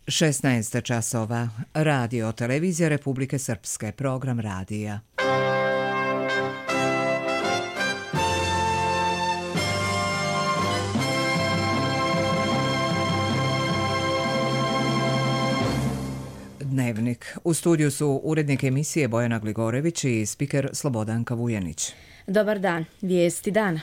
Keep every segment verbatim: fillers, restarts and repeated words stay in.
šesnaest časova. Radio Televizija Republike Srpske. Program radija. Dnevnik. U studiju su urednik emisije Bojana Gligorević i spiker Slobodanka Vujanić. Dobar dan. Vijesti dana.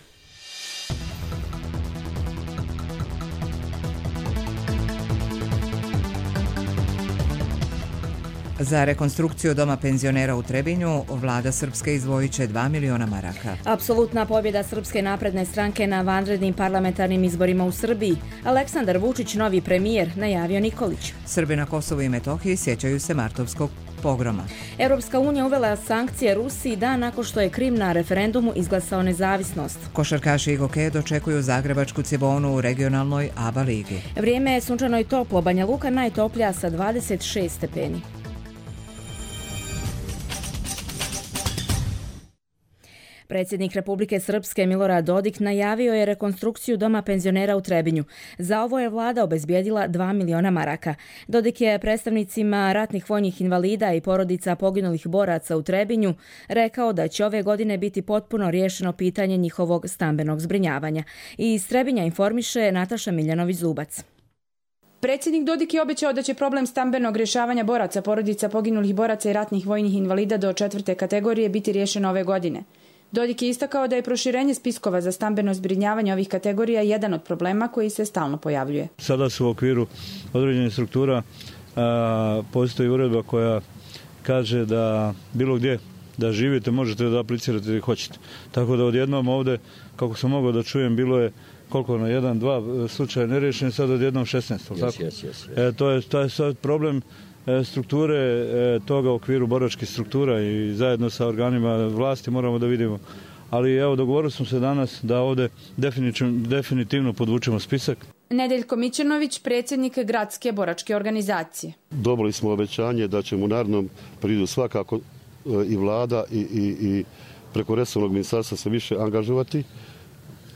Za rekonstrukciju doma penzionera u Trebinju vlada Srpske izdvojit će dva miliona maraka. Apsolutna pobjeda Srpske napredne stranke na vanrednim parlamentarnim izborima u Srbiji. Aleksandar Vučić, novi premijer, najavio Nikolić. Srbi na Kosovu i Metohiji sjećaju se martovskog pogroma. Europska unija uvela sankcije Rusiji dan nakon što je Krim na referendumu izglasao nezavisnost. Košarkaši i hokeje dočekuju Zagrebačku Cibonu u regionalnoj A B A ligi. Vrijeme je sunčano i toplo. Banja Luka najtoplija sa dvadeset šest stepeni. Predsjednik Republike Srpske Milorad Dodik najavio je rekonstrukciju doma penzionera u Trebinju. Za ovo je vlada obezbijedila dva miliona maraka. Dodik je predstavnicima ratnih vojnih invalida i porodica poginulih boraca u Trebinju rekao da će ove godine biti potpuno riješeno pitanje njihovog stambenog zbrinjavanja. I iz Trebinja informiše Nataša Miljanović-Zubac. Predsjednik Dodik je obećao da će problem stambenog rješavanja boraca, porodica poginulih boraca i ratnih vojnih invalida do četvrte kategorije biti riješeno ove godine. Dodik je istakao da je proširenje spiskova za stambeno zbrinjavanje ovih kategorija jedan od problema koji se stalno pojavljuje. Sada su u okviru određenih struktura a, postoji uredba koja kaže da bilo gdje da živite možete da aplicirate gdje hoćete. Tako da odjednom ovdje, kako sam mogao da čujem, bilo je koliko na jedan, dva slučaja neriješeni, sad odjednom šesnaest. Yes, yes, yes, yes. E, to je, to je sad problem strukture toga u okviru boračkih struktura i zajedno sa organima vlasti moramo da vidimo. Ali evo, dogovorili smo se danas da ovdje definitivno podvučemo spisak. Nedeljko Mićanović, predsjednik gradske boračke organizacije. Dobili smo obećanje da ćemo u narednom periodu svakako i vlada i, i, i preko resornog ministarstva se više angažovati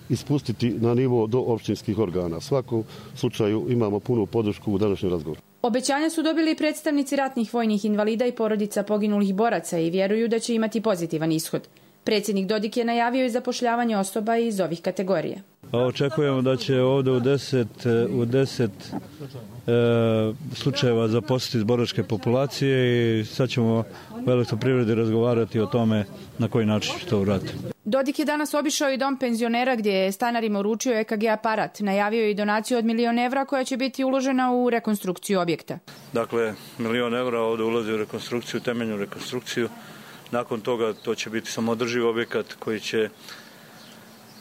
i spustiti na nivo do općinskih organa. U svakom slučaju imamo punu podršku u današnjem razgovoru. Obećanja su dobili i predstavnici ratnih vojnih invalida i porodica poginulih boraca i vjeruju da će imati pozitivan ishod. Predsjednik Dodik je najavio i zapošljavanje osoba iz ovih kategorija. Očekujemo da će ovdje u deset, u deset e, slučajeva zaposliti iz boračke populacije i sad ćemo u elektroprivredi razgovarati o tome na koji način će to uraditi. Dodik je danas obišao i dom penzionera gdje je stanarima uručio E K G aparat. Najavio je i donaciju od milion evra koja će biti uložena u rekonstrukciju objekta. Dakle, milion evra ovdje ulazi u rekonstrukciju, temeljnu rekonstrukciju. Nakon toga to će biti samodrživ objekat koji će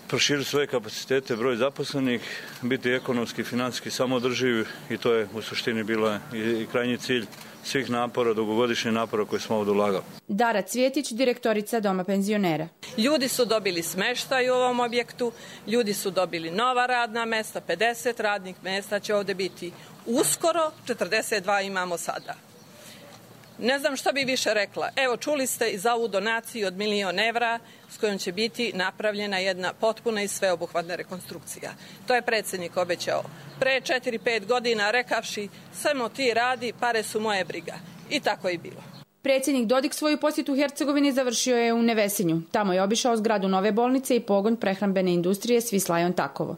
proširiti svoje kapacitete, broj zaposlenih, biti ekonomski i financijski samodrživ i to je u suštini bilo i krajnji cilj svih napora, dugogodišnjih napora koje smo ovdje ulagali. Dara Cvjetić, direktorica doma penzionera. Ljudi su dobili smještaj u ovom objektu, ljudi su dobili nova radna mjesta, pedeset radnih mjesta će ovdje biti uskoro, četrdeset dva imamo sada. Ne znam što bi više rekla. Evo, čuli ste i za ovu donaciju od milion evra s kojom će biti napravljena jedna potpuna i sveobuhvatna rekonstrukcija. To je predsjednik obećao pre četiri pet godina rekavši samo ti radi, pare su moje briga. I tako je bilo. Predsjednik Dodik svoju posjetu u Hercegovini završio je u Nevesinju. Tamo je obišao zgradu nove bolnice i pogon prehrambene industrije Svislajon Takovo.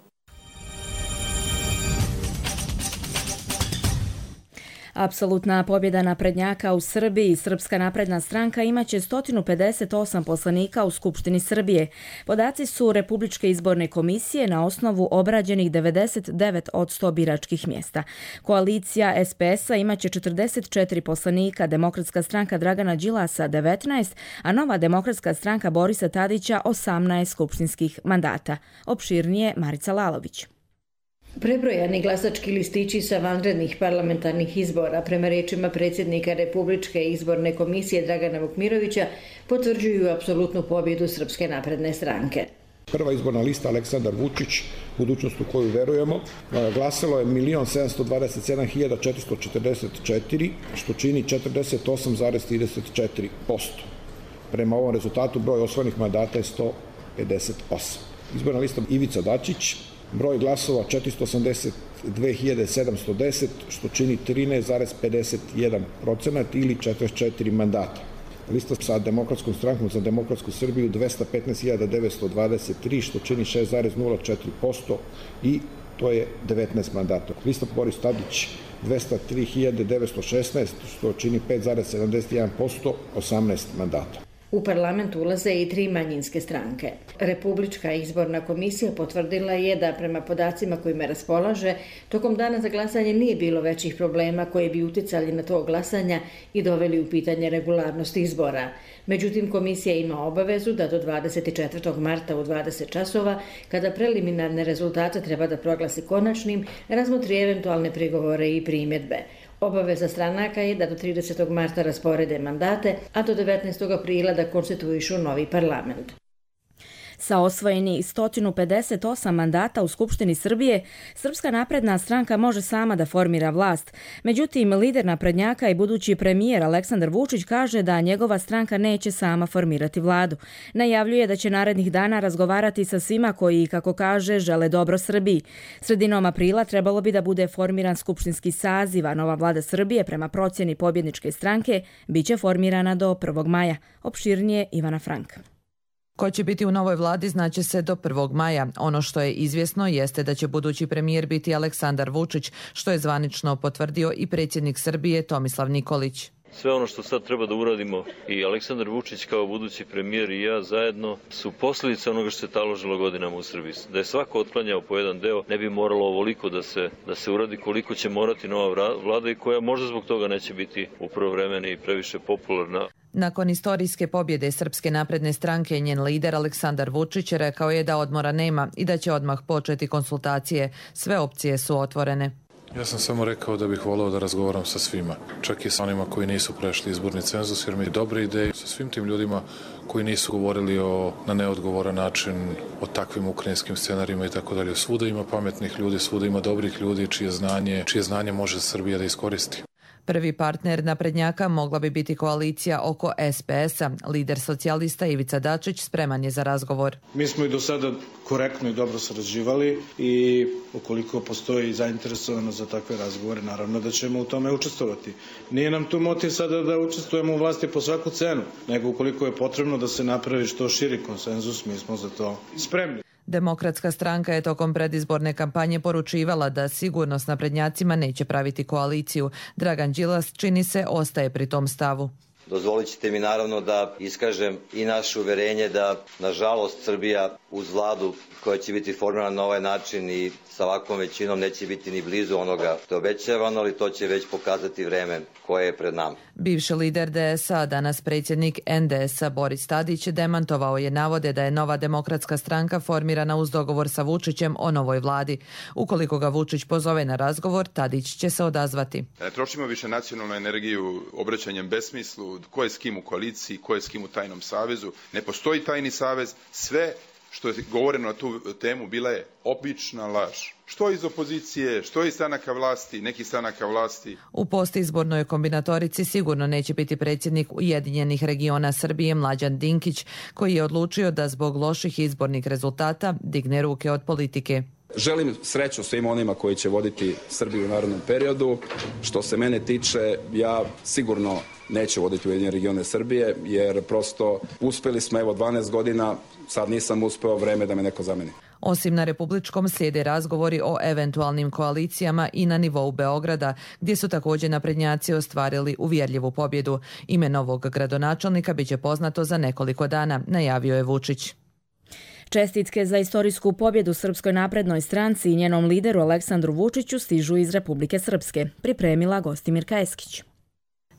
Apsolutna pobjeda naprednjaka u Srbiji. Srpska napredna stranka imaće sto pedeset osam poslanika u Skupštini Srbije. Podaci su Republičke izborne komisije na osnovu obrađenih devedeset devet posto biračkih mjesta. Koalicija S P S-a imaće četrdeset četiri poslanika, Demokratska stranka Dragana Đilasa devetnaest, a Nova demokratska stranka Borisa Tadića osamnaest skupštinskih mandata. Opširnije Marica Lalović. Prebrojani glasački listići sa vanrednih parlamentarnih izbora, prema riječima predsjednika Republičke izborne komisije Dragana Vukmirovića, potvrđuju apsolutnu pobjedu Srpske napredne stranke. Prva izborna lista Aleksandar Vučić, budućnost u koju verujemo, glasalo je milion sedamsto dvadeset sedam hiljada četiristo četrdeset četiri, što čini četrdeset osam zarez trideset četiri posto. Prema ovom rezultatu broj osvojenih mandata je sto pedeset osam. Izborna lista Ivica Dačić, Broj glasova četiristo osamdeset dve hiljade sedamsto deset, što čini trinaest zarez pedeset jedan procenat ili četrdeset četiri mandata. Lista sa Demokratskom strankom za demokratsku Srbiju dvesta petnaest hiljada devetsto dvadeset tri, što čini šest zarez nula četiri posto i to je devetnaest mandata. Lista Boris Tadić dvesta tri hiljade devetsto šesnaest, što čini pet zarez sedamdeset jedan posto, osamnaest mandata. U parlament ulaze i tri manjinske stranke. Republička izborna komisija potvrdila je da prema podacima kojima raspolaže, tokom dana za glasanje nije bilo većih problema koji bi uticali na to glasanja i doveli u pitanje regularnost izbora. Međutim, komisija ima obavezu da do dvadeset četvrtog marta u dvadeset časova, kada preliminarne rezultate treba da proglasi konačnim, razmotri eventualne prigovore i primjedbe. Obaveza stranaka je da do tridesetog marta rasporede mandate, a do devetnaestog aprila da konstituišu novi parlament. Sa osvojenih sto pedeset osam mandata u Skupštini Srbije, Srpska napredna stranka može sama da formira vlast. Međutim, lider naprednjaka i budući premijer Aleksandar Vučić kaže da njegova stranka neće sama formirati vladu. Najavljuje da će narednih dana razgovarati sa svima koji, kako kaže, žele dobro Srbiji. Sredinom aprila trebalo bi da bude formiran skupštinski saziv, a nova vlada Srbije, prema procjeni pobjedničke stranke, biće formirana do prvog maja. Opširnije Ivana Frank. Ko će biti u novoj vladi znaće se do prvog maja. Ono što je izvjesno jeste da će budući premijer biti Aleksandar Vučić, što je zvanično potvrdio i predsjednik Srbije Tomislav Nikolić. Sve ono što sad treba da uradimo i Aleksandar Vučić kao budući premijer i ja zajedno su posljedice onoga što se taložilo godinama u Srbiji. Da je svako otklanjao po jedan deo, ne bi moralo ovoliko da se, da se uradi koliko će morati nova vlada i koja možda zbog toga neće biti u prvo vreme i previše popularna. Nakon istorijske pobjede Srpske napredne stranke, njen lider Aleksandar Vučić rekao je da odmora nema i da će odmah početi konsultacije. Sve opcije su otvorene. Ja sam samo rekao da bih voleo da razgovaram sa svima, čak i sa onima koji nisu prešli izborni cenzus, jer mi je dobre ideje sa svim tim ljudima koji nisu govorili o, na neodgovoran način o takvim ukrajinskim scenarijima i tako dalje. Svuda ima pametnih ljudi, svuda ima dobrih ljudi čije znanje, čije znanje može Srbija da iskoristi. Prvi partner naprednjaka mogla bi biti koalicija oko es pe es-a. Lider socijalista Ivica Dačić spreman je za razgovor. Mi smo i do sada korektno i dobro sarađivali i ukoliko postoji zainteresovanost za takve razgovore, naravno da ćemo u tome učestvovati. Nije nam tu motiv sada da učestvujemo u vlasti po svaku cenu, nego ukoliko je potrebno da se napravi što širi konsenzus, mi smo za to spremni. Demokratska stranka je tokom predizborne kampanje poručivala da sigurno s naprednjacima neće praviti koaliciju. Dragan Đilas, čini se, ostaje pri tom stavu. Dozvolit ćete mi naravno da iskažem i naše uverenje da, nažalost, Srbija uz vladu koja će biti formirana na ovaj način i sa ovakvom većinom neće biti ni blizu onoga što je obećavano, ali to će već pokazati vreme koje je pred nama. Bivši lider de es a, danas predsjednik en de es a Boris Tadić, demantovao je navode da je nova demokratska stranka formirana uz dogovor sa Vučićem o novoj vladi. Ukoliko ga Vučić pozove na razgovor, Tadić će se odazvati. Ne trošimo više nacionalnu energiju obraćanjem besmislu, ko je s kim u koaliciji, ko je s kim u tajnom savezu. Ne postoji tajni savez, sve što je govoreno na tu temu bila je obična laž. Što iz opozicije, što iz stranaka vlasti, nekih stranaka vlasti. U postizbornoj kombinatorici sigurno neće biti predsjednik Ujedinjenih regiona Srbije Mlađan Dinkić, koji je odlučio da zbog loših izbornih rezultata digne ruke od politike. Želim sreću svim onima koji će voditi Srbiju u narednom periodu. Što se mene tiče, ja sigurno neću voditi Ujedinjene regione Srbije, jer prosto uspjeli smo evo dvanaest godina, sad nisam uspeo, vreme da me neko zameni. Osim na republičkom slijede razgovori o eventualnim koalicijama i na nivou Beograda, gdje su također naprednjaci ostvarili uvjerljivu pobjedu. Ime novog gradonačelnika biće poznato za nekoliko dana, najavio je Vučić. Čestitke za istorijsku pobjedu Srpskoj naprednoj stranci i njenom lideru Aleksandru Vučiću stižu iz Republike Srpske, pripremila Gostimirka Eskić.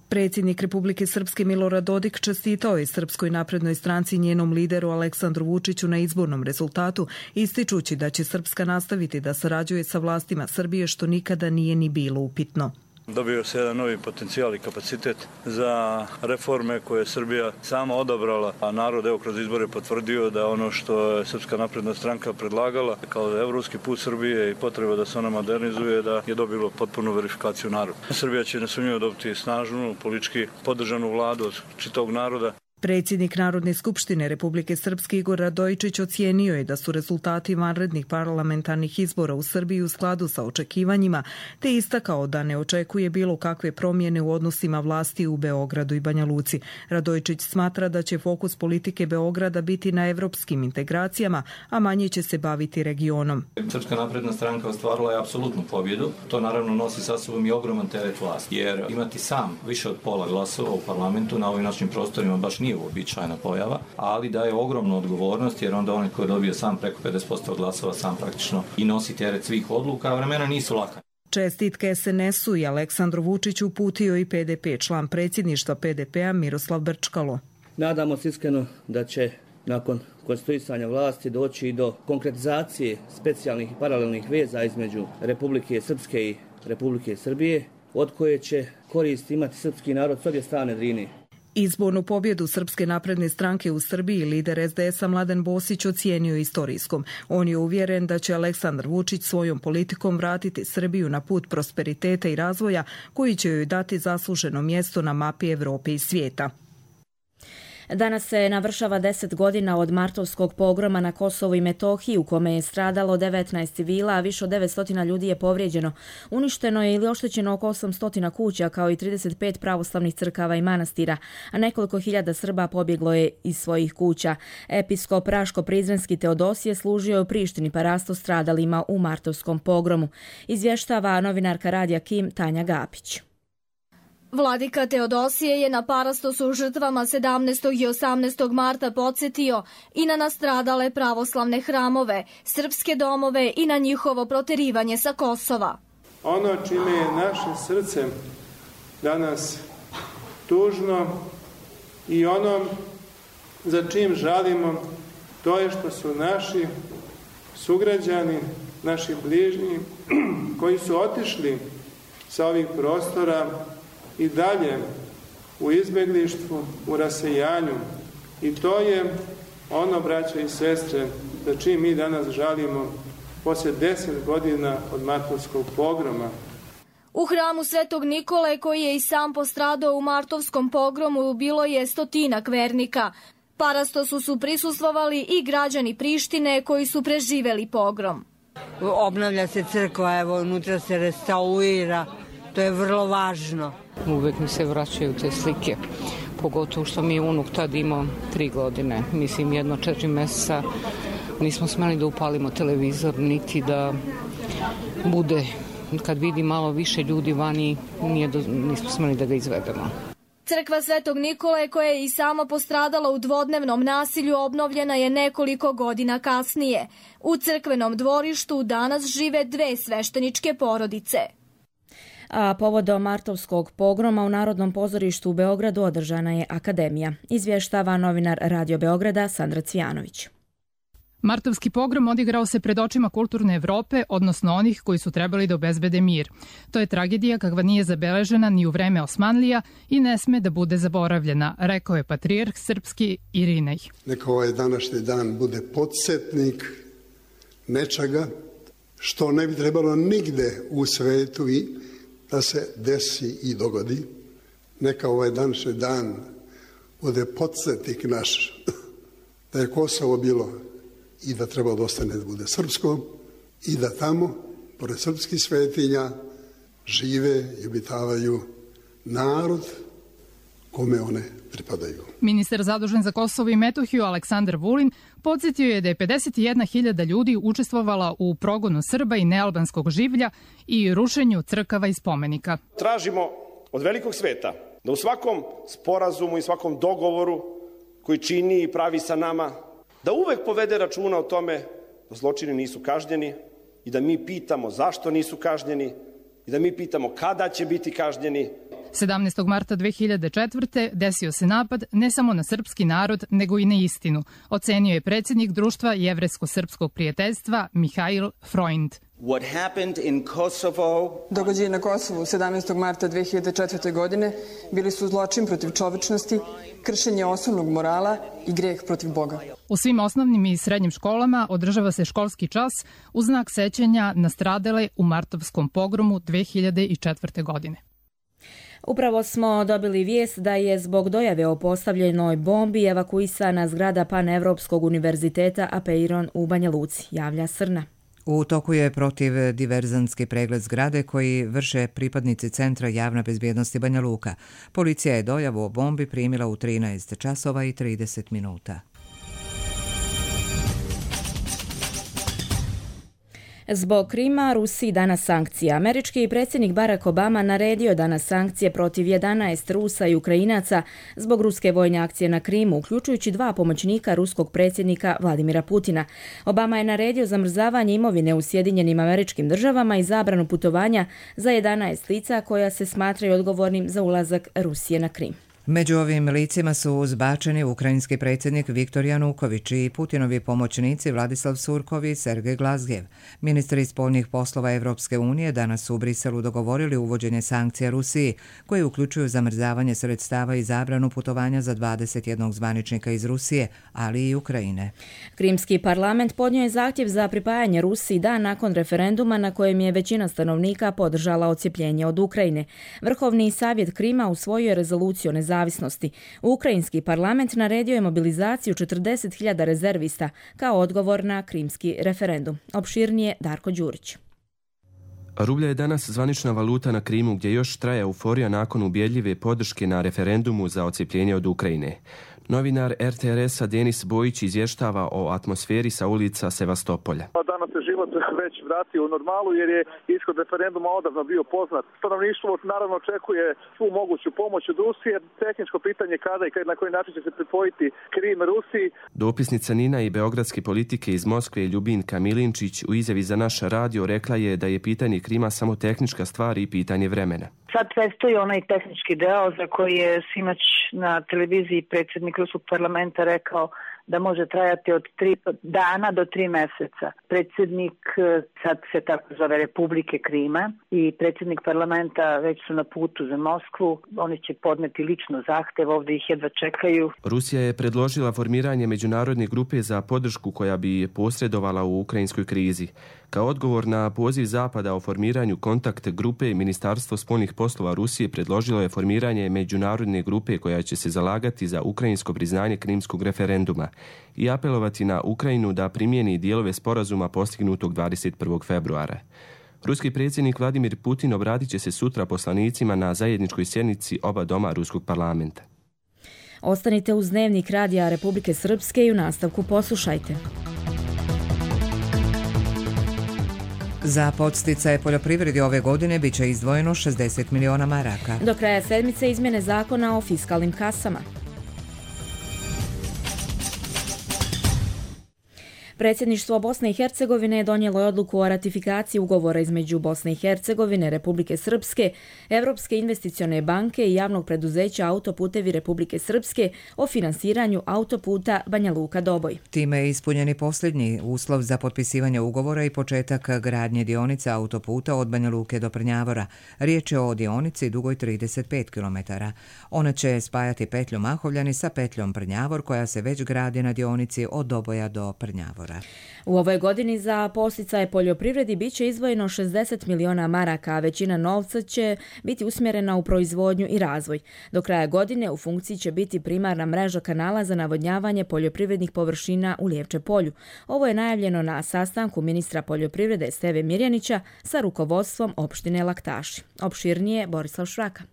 Predsjednik Republike Srpske Milorad Dodik čestitao je Srpskoj naprednoj stranci i njenom lideru Aleksandru Vučiću na izbornom rezultatu, ističući da će Srpska nastaviti da sarađuje sa vlastima Srbije, što nikada nije ni bilo upitno. Dobio se jedan novi potencijal i kapacitet za reforme koje je Srbija sama odabrala, a narod evo kroz izbore potvrdio da ono što je Srpska napredna stranka predlagala kao evropski put Srbije i potreba da se ona modernizuje, da je dobilo potpunu verifikaciju naroda. Srbija će nesumnjivo dobiti snažnu, politički podržanu vladu od čitavog naroda. Predsjednik Narodne skupštine Republike Srpske Igor Radojičić ocijenio je da su rezultati vanrednih parlamentarnih izbora u Srbiji u skladu sa očekivanjima, te istakao da ne očekuje bilo kakve promjene u odnosima vlasti u Beogradu i Banja Luci. Radojičić smatra da će fokus politike Beograda biti na evropskim integracijama, a manje će se baviti regionom. Srpska napredna stranka ostvarila je apsolutnu pobjedu. To naravno nosi sa sobom i ogroman teret vlasti, jer imati sam više od pola glasova u parlamentu na ovim našim prostorima baš nije uobičajena pojava, ali daje ogromnu odgovornost, jer onda onaj ko je dobio sam preko pedeset posto glasova sam praktično i nosi teret svih odluka, a vremena nisu laka. Čestitke es en esu i Aleksandru Vučiću uputio i pe de pe, član predsjedništva pe de pea Miroslav Brčkalo. Nadamo se iskreno da će nakon konstituisanja vlasti doći i do konkretizacije specijalnih i paralelnih veza između Republike Srpske i Republike Srbije, od koje će korist imati srpski narod s obje strane Drine. Izbornu pobjedu Srpske napredne stranke u Srbiji lider es de esa Mladen Bosić ocijenio istorijskom. On je uvjeren da će Aleksandar Vučić svojom politikom vratiti Srbiju na put prosperiteta i razvoja koji će joj dati zasluženo mjesto na mapi Evrope i svijeta. Danas se navršava deset godina od martovskog pogroma na Kosovu i Metohiji u kome je stradalo devetnaest civila, a više od devetsto ljudi je povrijeđeno. Uništeno je ili oštećeno oko osamsto kuća kao i trideset pet pravoslavnih crkava i manastira, a nekoliko hiljada Srba pobjeglo je iz svojih kuća. Episkop Raško-Prizrenski Teodosije služio je u Prištini parasto stradalima u martovskom pogromu. Izvještava novinarka Radija Kim Tanja Gapić. Vladika Teodosije je na parastosu žrtvama sedamnaestog i osamnaestog marta podsjetio i na nastradale pravoslavne hramove, srpske domove i na njihovo proterivanje sa Kosova. Ono čime je naše srce danas tužno i ono za čim žalimo, to je što su naši sugrađani, naši bližnji koji su otišli sa ovih prostora i dalje u izbjeglištvu, u rasejanju. I to je ono, braće i sestre, za čim mi danas žalimo poslije deset godina od martovskog pogroma. U hramu Svetog Nikole, koji je i sam postradao u martovskom pogromu, bilo je stotinak vernika. Parastosu su prisustvovali i građani Prištine koji su preživeli pogrom. Obnavlja se crkva, evo, unutra se restaurira, to je vrlo važno. Uvijek mi se vraćaju te slike, pogotovo što mi je unuk tad imao tri godine, mislim jedno četiri mjeseca. Nismo smjeli da upalimo televizor, niti da bude, kad vidi malo više ljudi vani, nije do, nismo smjeli da ga izvedemo. Crkva Svetog Nikole, koja je i sama postradala u dvodnevnom nasilju, obnovljena je nekoliko godina kasnije. U crkvenom dvorištu danas žive dve svešteničke porodice. A povodom martovskog pogroma u Narodnom pozorištu u Beogradu održana je akademija. Izvještava novinar Radio Beograda Sandra Cvijanović. Martovski pogrom odigrao se pred očima kulturne Evrope, odnosno onih koji su trebali da obezbede mir. To je tragedija kakva nije zabeležena ni u vreme Osmanlija i ne sme da bude zaboravljena, rekao je patrijarh srpski Irinej. Neka ovaj današnji dan bude podsjetnik nečega što ne bi trebalo nigde u svetu i da se desi i dogodi. Neka ovaj današnji dan bude podsjetnik naš da je Kosovo bilo i da treba da ostane da bude srpsko i da tamo, pored srpskih svetinja, žive i obitavaju narod kome one pripadaju. Ministar zadužen za Kosovo i Metohiju Aleksandar Vulin podsjetio je da je pedeset jedna hiljada ljudi učestvovala u progonu Srba i nealbanskog življa i rušenju crkava i spomenika. Tražimo od velikog sveta da u svakom sporazumu i svakom dogovoru koji čini i pravi sa nama, da uvek povede računa o tome da zločini nisu kažnjeni i da mi pitamo zašto nisu kažnjeni i da mi pitamo kada će biti kažnjeni. sedamnaestog marta dve hiljade četvrte. desio se napad ne samo na srpski narod, nego i na istinu, ocenio je predsjednik društva Jevrejsko-srpskog prijateljstva Mihail Freund. What happened in Kosovo... Događaji na Kosovu sedamnaestog marta dve hiljade četvrte. godine bili su zločin protiv čovečnosti, kršenje osnovnog morala i greh protiv Boga. U svim osnovnim i srednjim školama održava se školski čas u znak sećanja na stradale u martovskom pogromu dve hiljade četvrte. godine. Upravo smo dobili vijest da je zbog dojave o postavljenoj bombi evakuisana zgrada Panevropskog univerziteta Apeiron u Banja Luci, javlja Srna. U toku je protiv diverzantski pregled zgrade koji vrše pripadnici Centra javne bezbjednosti Banja Luka. Policija je dojavu o bombi primila u trinaest časova i trideset minuta. Zbog Krima, Rusiji danas sankcija. Američki predsjednik Barack Obama naredio danas sankcije protiv jedanaest Rusa i Ukrajinaca zbog ruske vojne akcije na Krimu, uključujući dva pomoćnika ruskog predsjednika Vladimira Putina. Obama je naredio zamrzavanje imovine u Sjedinjenim Američkim Državama i zabranu putovanja za jedanaest lica koja se smatraju odgovornim za ulazak Rusije na Krim. Među ovim licima su zbačeni ukrajinski predsjednik Viktor Januković i Putinovi pomoćnici Vladislav Surkov i Sergej Glazgev. Ministri spoljnih poslova Evropske unije danas su u Briselu dogovorili uvođenje sankcija Rusiji, koje uključuju zamrzavanje sredstava i zabranu putovanja za dvadeset jedan zvaničnika iz Rusije, ali i Ukrajine. Krimski parlament podnio je zahtjev za pripajanje Rusiji dan nakon referenduma na kojem je većina stanovnika podržala odcjepljenje od Ukrajine. Vrhovni savjet Krima usvojio je rezoluciju o nezavisnosti. Ukrajinski parlament naredio je mobilizaciju četrdeset hiljada rezervista kao odgovor na krimski referendum. Opširnije Darko Đurić. Rublja je danas zvanična valuta na Krimu gdje još traje euforija nakon ubjedljive podrške na referendumu za odcjepljenje od Ukrajine. Novinar er te er es-a Denis Bojić izvještava o atmosferi sa ulica Sevastopolja. Danas se život već vratio u normalu jer je ishod referenduma odavno bio poznat. Stanovništvo naravno očekuje svu moguću pomoć od Rusije. Tehničko pitanje kada i na koji način će se pripojiti Krim Rusiji. Dopisnica Nina i beogradske politike iz Moskve Ljubinka Milinčić u izjavi za naš radio rekla je da je pitanje Krima samo tehnička stvar i pitanje vremena. Sad predstoji onaj tehnički deo za koji je sinoć na televiziji predsjednik Ruskog parlamenta rekao da može trajati od tri dana do tri mjeseca. Predsjednik, sad se tako zove, Republike Krima i predsjednik parlamenta već su na putu za Moskvu. Oni će podneti lično zahtev, ovdje ih jedva čekaju. Rusija je predložila formiranje međunarodne grupe za podršku koja bi posredovala u ukrajinskoj krizi. Kao odgovor na poziv Zapada o formiranju kontakt grupe, Ministarstvo spoljnih poslova Rusije predložilo je formiranje međunarodne grupe koja će se zalagati za ukrajinsko priznanje krimskog referenduma i apelovati na Ukrajinu da primijeni dijelove sporazuma postignutog dvadeset prvog februara. Ruski predsjednik Vladimir Putin obratit će se sutra poslanicima na zajedničkoj sjednici oba doma Ruskog parlamenta. Ostanite uz Dnevnik Radija Republike Srpske i u nastavku poslušajte. Za podsticaje poljoprivredi ove godine bit će izdvojeno šezdeset miliona maraka. Do kraja sedmice izmjene zakona o fiskalnim kasama. Predsjedništvo Bosne i Hercegovine donijelo je odluku o ratifikaciji ugovora između Bosne i Hercegovine, Republike Srpske, Evropske investicione banke i javnog preduzeća Autoputevi Republike Srpske o finansiranju autoputa Banja Luka-Doboj. Time je ispunjeni posljednji uslov za potpisivanje ugovora i početak gradnje dionice autoputa od Banja Luke do Prnjavora. Riječ je o dionici dugoj trideset pet kilometara. Ona će spajati petlju Mahovljani sa petljom Prnjavor koja se već gradi na dionici od Doboja do Prnjavora. U ovoj godini za podsticaje poljoprivredi bit će izdvojeno šezdeset miliona maraka, a većina novca će biti usmjerena u proizvodnju i razvoj. Do kraja godine u funkciji će biti primarna mreža kanala za navodnjavanje poljoprivrednih površina u Lijevče polju. Ovo je najavljeno na sastanku ministra poljoprivrede Steve Mirjanića sa rukovodstvom opštine Laktaši. Opširnije Borislav Šraka.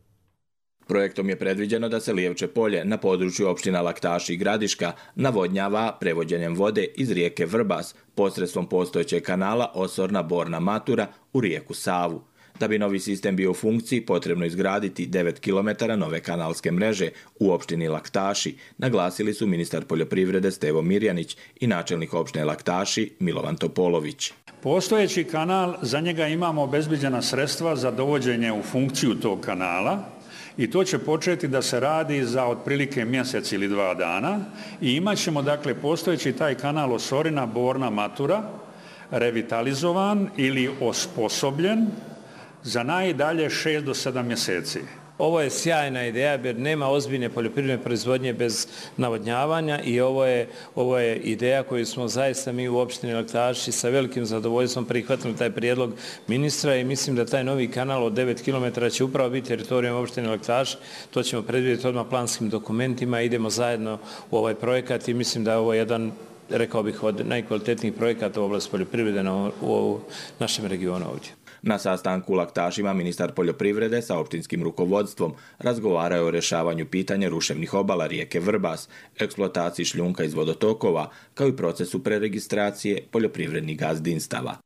Projektom je predviđeno da se Lijevče polje na području opština Laktaši i Gradiška navodnjava prevođenjem vode iz rijeke Vrbas posredstvom postojećeg kanala Osorna-Borna Matura u rijeku Savu. Da bi novi sistem bio u funkciji, potrebno izgraditi devet kilometara nove kanalske mreže u opštini Laktaši, naglasili su ministar poljoprivrede Stevo Mirjanić i načelnik opštine Laktaši Milovan Topolović. Postojeći kanal, za njega imamo obezbeđena sredstva za dovođenje u funkciju tog kanala, i to će početi da se radi za otprilike mjesec ili dva dana i imat ćemo dakle postojeći taj kanal Osorina Borna Matura revitalizovan ili osposobljen za najdalje šest do sedam mjeseci. Ovo je sjajna ideja jer nema ozbiljne poljoprivredne proizvodnje bez navodnjavanja i ovo je, ovo je ideja koju smo zaista mi u opštini Laktaši sa velikim zadovoljstvom prihvatili taj prijedlog ministra i mislim da taj novi kanal od devet kilometara će upravo biti teritorijom opštine Laktaši. To ćemo predvidjeti odmah planskim dokumentima, idemo zajedno u ovaj projekat i mislim da je ovo jedan, rekao bih, od najkvalitetnijih projekata u oblasti poljoprivrede na, u našem regionu ovdje. Na sastanku u Laktašima ministar poljoprivrede sa opštinskim rukovodstvom razgovarao je o rješavanju pitanja ruševnih obala rijeke Vrbas, eksploataciji šljunka iz vodotokova, kao i procesu preregistracije poljoprivrednih gazdinstava.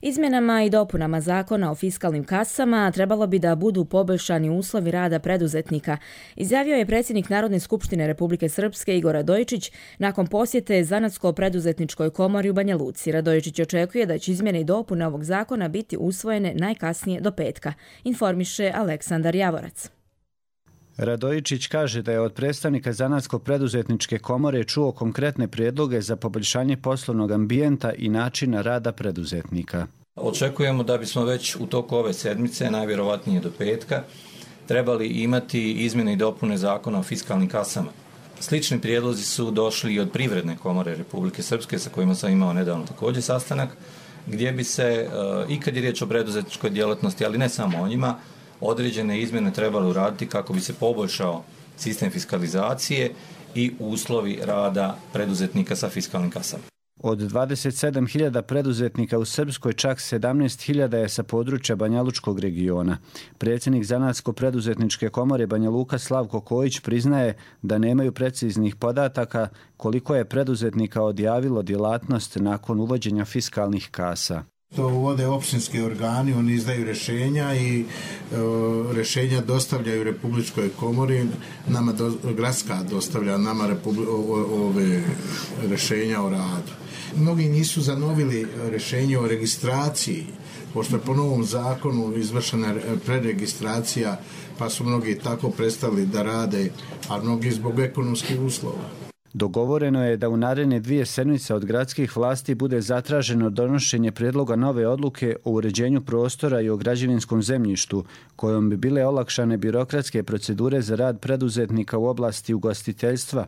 Izmjenama i dopunama zakona o fiskalnim kasama trebalo bi da budu poboljšani uslovi rada preduzetnika, izjavio je predsjednik Narodne skupštine Republike Srpske Igor Radojičić nakon posjete Zanatsko-preduzetničkoj komori u Banja Luci. Radojičić očekuje da će izmjene i dopune ovog zakona biti usvojene najkasnije do petka, informiše Aleksandar Javorac. Radojičić kaže da je od predstavnika Zanatsko-preduzetničke komore čuo konkretne prijedloge za poboljšanje poslovnog ambijenta i načina rada preduzetnika. Očekujemo da bismo već u toku ove sedmice, najvjerovatnije do petka, trebali imati izmjene i dopune zakona o fiskalnim kasama. Slični prijedlozi su došli i od Privredne komore Republike Srpske, sa kojima sam imao nedavno također sastanak, gdje bi se, i kad je riječ o preduzetničkoj djelatnosti, ali ne samo o njima, određene izmjene trebali uraditi kako bi se poboljšao sistem fiskalizacije i uslovi rada preduzetnika sa fiskalnim kasama. Od dvadeset sedam hiljada preduzetnika u Srpskoj čak sedamnaest hiljada je sa područja Banjalučkog regiona. Predsjednik Zanatsko-preduzetničke komore Banja Luka Slavko Kojić priznaje da nemaju preciznih podataka koliko je preduzetnika odjavilo djelatnost nakon uvođenja fiskalnih kasa. To uvode općinski organi, oni izdaju rješenja i e, rješenja dostavljaju Republičkoj komori, nama do, gradska dostavlja nama republi, o, ove rješenja o radu. Mnogi nisu zanovili rješenje o registraciji, pošto je po novom zakonu izvršena preregistracija, pa su mnogi tako prestali da rade, a mnogi zbog ekonomskih uslova. Dogovoreno je da u naredne dvije sedmice od gradskih vlasti bude zatraženo donošenje prijedloga nove odluke o uređenju prostora i o građevinskom zemljištu, kojom bi bile olakšane birokratske procedure za rad preduzetnika u oblasti ugostiteljstva.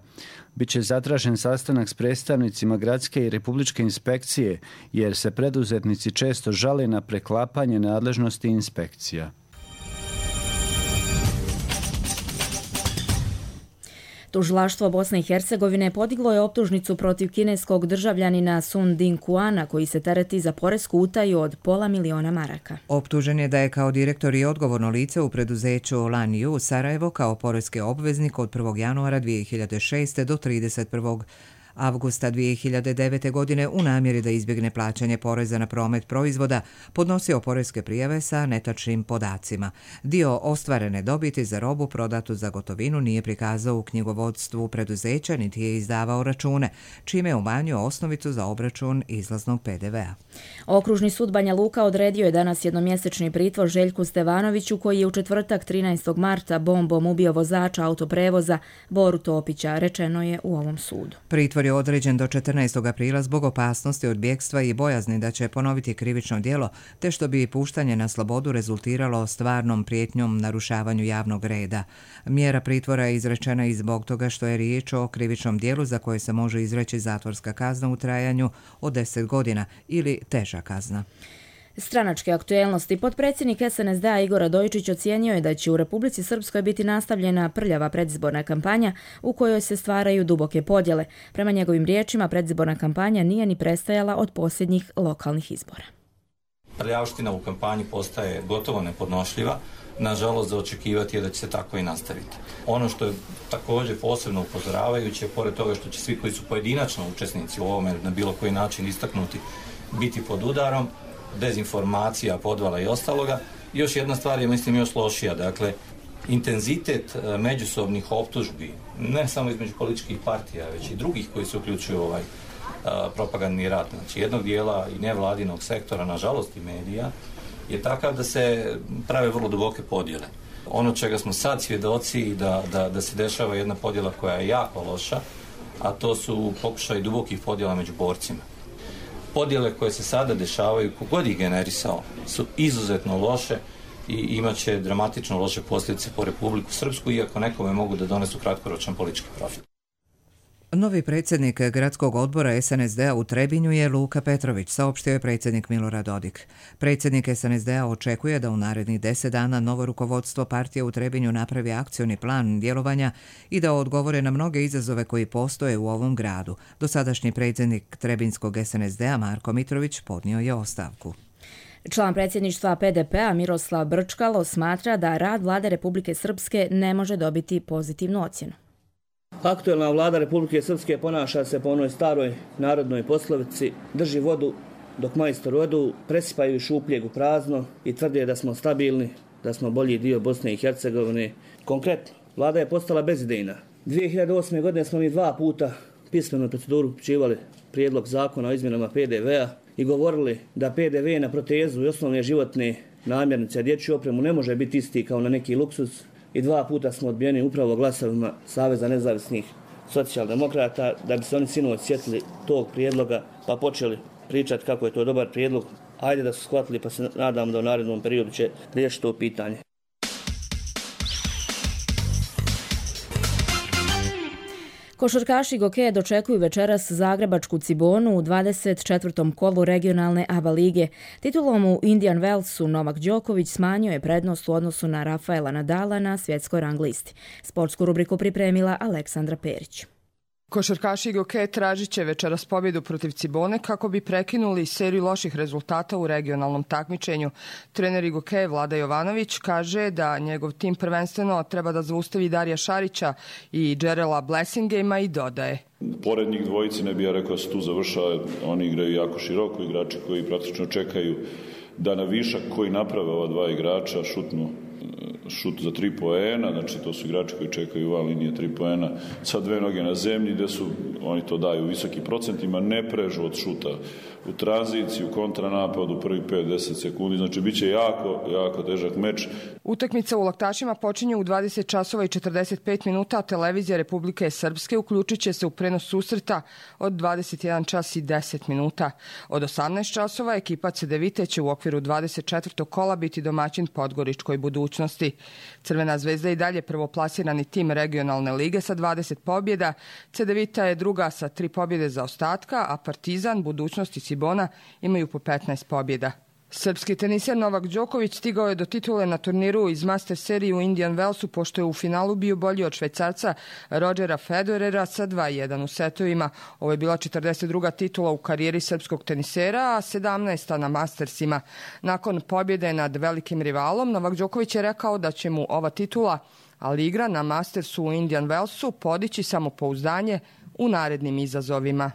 Biće zatražen sastanak s predstavnicima gradske i republičke inspekcije, jer se preduzetnici često žale na preklapanje nadležnosti inspekcija. Tužilaštvo Bosne i Hercegovine podiglo je optužnicu protiv kineskog državljanina Sun Ding Kuana koji se tereti za poresku utaju od pola miliona maraka. Optužen je da je kao direktor i odgovorno lice u preduzeću Lanju Sarajevo kao poreski obveznik od prvog januara dvije hiljade šeste. do trideset prvog avgusta dvije hiljade devete. godine u namjeri da izbjegne plaćanje poreza na promet proizvoda podnosio poreske prijave sa netačnim podacima. Dio ostvarene dobiti za robu prodatu za gotovinu nije prikazao u knjigovodstvu preduzeća niti je izdavao račune, čime je umanjio osnovicu za obračun izlaznog pe de vea. Okružni sud Banja Luka odredio je danas jednomjesečni pritvor Željku Stevanoviću koji je u četvrtak trinaestog marta bombom ubio vozača autoprevoza Boru Topića, rečeno je u ovom sudu. Pritvor je određen do četrnaestog aprila zbog opasnosti od bjegstva i bojazni da će ponoviti krivično djelo, te što bi puštanje na slobodu rezultiralo stvarnom prijetnjom narušavanju javnog reda. Mjera pritvora je izrečena i zbog toga što je riječ o krivičnom djelu za koje se može izreći zatvorska kazna u trajanju od deset godina ili teža kazna. Stranačke aktuelnosti. Potpredsjednik es en es de a Igor Radojičić ocijenio je da će u Republici Srpskoj biti nastavljena prljava predizborna kampanja u kojoj se stvaraju duboke podjele. Prema njegovim riječima, predizborna kampanja nije ni prestajala od posljednjih lokalnih izbora. Prljavština u kampanji postaje gotovo nepodnošljiva. Nažalost, za očekivati je da će se tako i nastaviti. Ono što je također posebno upozoravajuće, pored toga što će svi koji su pojedinačno učesnici u ovome na bilo koji način istaknuti biti pod udarom, dezinformacija, podvala i ostaloga. Još jedna stvar je, mislim, još lošija. Dakle, intenzitet međusobnih optužbi, ne samo između političkih partija, već i drugih koji se uključuju u ovaj a, propagandni rat. Znači, jednog dijela i nevladinog sektora, nažalost i medija, je takav da se prave vrlo duboke podjele. Ono čega smo sad svjedoci da, da, da se dešava jedna podjela koja je jako loša, a to su pokušaj dubokih podjela među borcima. Podjele koje se sada dešavaju, kogod ih generisao, su izuzetno loše i imat će dramatično loše posljedice po Republiku Srpsku, iako nekome mogu da donesu kratkoročan politički profit. Novi predsjednik gradskog odbora S N S D-a u Trebinju je Luka Petrović, saopštio je predsjednik Milorad Dodik. Predsjednik S N S D-a očekuje da u narednih deset dana novo rukovodstvo partije u Trebinju napravi akcioni plan djelovanja i da odgovore na mnoge izazove koji postoje u ovom gradu. Dosadašnji predsjednik Trebinskog S N S D-a Marko Mitrović podnio je ostavku. Član predsjedništva P D P-a Miroslav Brčkalo smatra da rad vlade Republike Srpske ne može dobiti pozitivnu ocjenu. Aktuelna vlada Republike Srpske ponaša se po onoj staroj narodnoj poslovici: drži vodu dok majstor odu, presipaju šupljeg u prazno i tvrde da smo stabilni, da smo bolji dio Bosne i Hercegovine. Konkretno, vlada je postala bezidejna. dvije hiljade osme. godine smo mi dva puta pismeno proceduru upućivali prijedlog zakona o izmjenama P D V-a i govorili da P D V na protezu i osnovne životne namirnice, a dječju opremu ne može biti isti kao na neki luksuz. I dva puta smo odbijeni upravo glasovima Saveza nezavisnih socijaldemokrata, da bi se oni sinoć sjetili tog prijedloga pa počeli pričati kako je to dobar prijedlog. Ajde da su shvatili, pa se nadam da u narednom periodu će riješiti to pitanje. Košarkaši Gokeja dočekuju večeras zagrebačku Cibonu u dvadeset četvrtom kolu regionalne A B A lige. Titulom u Indian Wellsu Novak Đoković smanjio je prednost u odnosu na Rafaela Nadala na svjetskoj rang listi. Sportsku rubriku pripremila Aleksandra Perić. Košarkaši Gokeja tražit će večeras pobjedu protiv Cibone kako bi prekinuli seriju loših rezultata u regionalnom takmičenju. Trener Gokeja Vlada Jovanović kaže da njegov tim prvenstveno treba da zaustavi Darija Šarića i Džerela Blessingama i dodaje: pored njih dvojici ne bi ja rekao da se tu završava, oni igraju jako široko, igrači koji praktično čekaju da na višak koji naprave ova dva igrača šutnu šut za tri poena, znači to su igrači koji čekaju van linije tri poena sa dve noge na zemlji, gde su, oni to daju u visokim procentima, ne prežu od šuta u tranziciji, u kontranapadu, prvi pet do deset sekundi, znači bit će jako, jako težak meč. Utakmica u Laktašima počinje u dvadeset časova i četrdeset pet minuta, a televizija Republike Srpske uključit će se u prenos susreta od dvadeset jedan čas i deset minuta. Od osamnaest časova ekipa Cedevite će u okviru dvadeset četvrtog kola biti domaćin Podgoričkoj Budućnosti. Crvena zvezda i dalje prvoplasirani tim regionalne lige sa dvadeset pobjeda. Cedevita je druga sa tri pobjede za ostatka, a Partizan, Budućnost i Cibona imaju po petnaest pobjeda. Srpski teniser Novak Đoković stigao je do titule na turniru iz Master serije u Indian Wellsu, pošto je u finalu bio bolji od Švajcarca Rodgera Federera sa dva jedan u setovima. Ovo je bila četrdeset druga titula u karijeri srpskog tenisera, a sedamnaesta na Mastersima. Nakon pobjede nad velikim rivalom, Novak Đoković je rekao da će mu ova titula, ali igra na Mastersu u Indian Wellsu, podići samopouzdanje u narednim izazovima.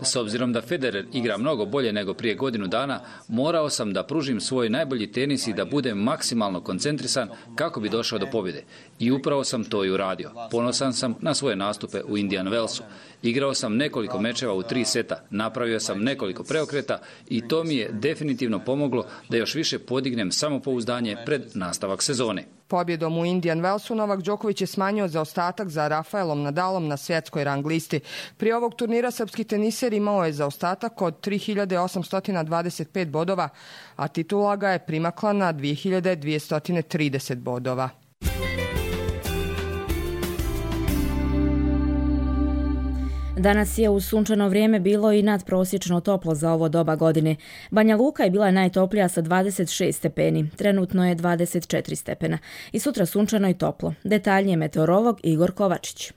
S obzirom da Federer igra mnogo bolje nego prije godinu dana, morao sam da pružim svoj najbolji tenis i da budem maksimalno koncentrisan kako bi došao do pobjede. I upravo sam to i uradio. Ponosan sam na svoje nastupe u Indian Wellsu. Igrao sam nekoliko mečeva u tri seta, napravio sam nekoliko preokreta i to mi je definitivno pomoglo da još više podignem samopouzdanje pred nastavak sezone. Pobjedom u Indian Wellsu Novak Đoković je smanjio zaostatak za Rafaelom Nadalom na svjetskoj rang listi. Prije ovog turnira srpski teniser imao je zaostatak od tri hiljade osamsto dvadeset pet bodova, a titula ga je primakla na dvije hiljade dvjesto trideset bodova. Danas je u sunčano vrijeme bilo i nadprosječno toplo za ovo doba godine. Banja Luka je bila najtoplija sa dvadeset šest stepeni, trenutno je dvadeset četiri stepena. I sutra sunčano i toplo. Detaljnije meteorolog Igor Kovačić.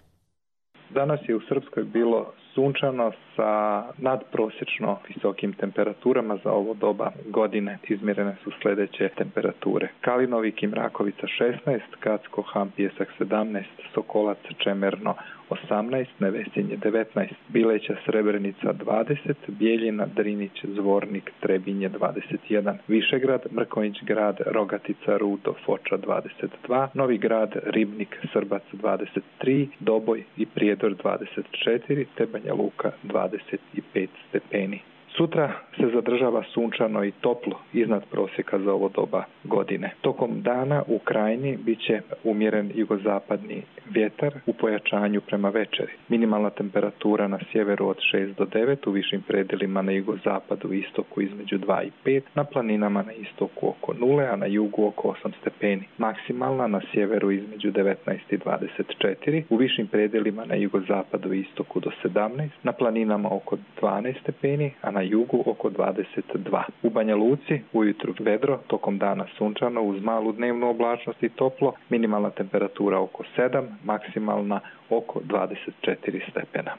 Danas je u Srpskoj bilo sunčano sa nadprosječno visokim temperaturama za ovo doba godine. Izmjerene su sljedeće temperature: Kalinovik i Mrakovica šesnaest, Kacko, Ham, Pjesak sedamnaest, Sokolac, Čemerno osamnaest, Nevesinje devetnaest, Bileća, Srebrenica dvadeset, Bijeljina, Drinić, Zvornik, Trebinje dvadeset jedan, Višegrad, Mrkonjić grad, Rogatica, Rudo, Foča dvadeset dva, Novi grad, Ribnik, Srbac dvadeset tri, Doboj i Prijedor dvadeset četiri, te Banja Luka dvadeset pet stepeni. Sutra se zadržava sunčano i toplo iznad prosjeka za ovo doba godine. Tokom dana u krajini bit će umjeren jugozapadni vjetar u pojačanju prema večeri. Minimalna temperatura na sjeveru od šest do devet, u višim predjelima na jugozapadu i istoku između dva i pet, na planinama na istoku oko nule, a na jugu oko osam stepeni. Maksimalna na sjeveru između devetnaest i dvadeset četiri, u višim predjelima na jugozapadu i istoku do sedamnaest, na planinama oko dvanaest stepeni, a na jugu oko dvadeset dva. U Banja Luci ujutru vedro, tokom dana sunčano uz malu dnevnu oblačnost i toplo, minimalna temperatura oko sedam, maksimalna oko dvadeset četiri stepena.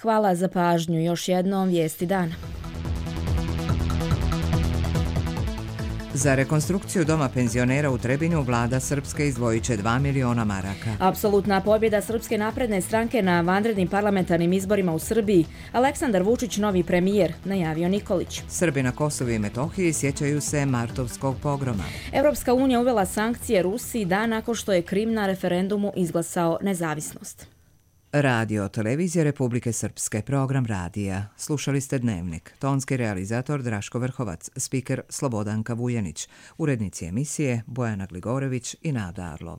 Hvala za pažnju. Još jednom vijesti dana. Za rekonstrukciju doma penzionera u Trebinju vlada Srpske izdvojit će dva miliona maraka. Apsolutna pobjeda Srpske napredne stranke na vanrednim parlamentarnim izborima u Srbiji. Aleksandar Vučić novi premijer, najavio Nikolić. Srbi na Kosovu i Metohiji sjećaju se martovskog pogroma. Evropska unija uvela sankcije Rusiji dan nakon što je Krim na referendumu izglasao nezavisnost. Radio televizije Republike Srpske, program radija. Slušali ste Dnevnik. Tonski realizator Draško Vrhovac, spiker Slobodanka Vujanić, urednici emisije Bojana Gligorević i Nada Arlov.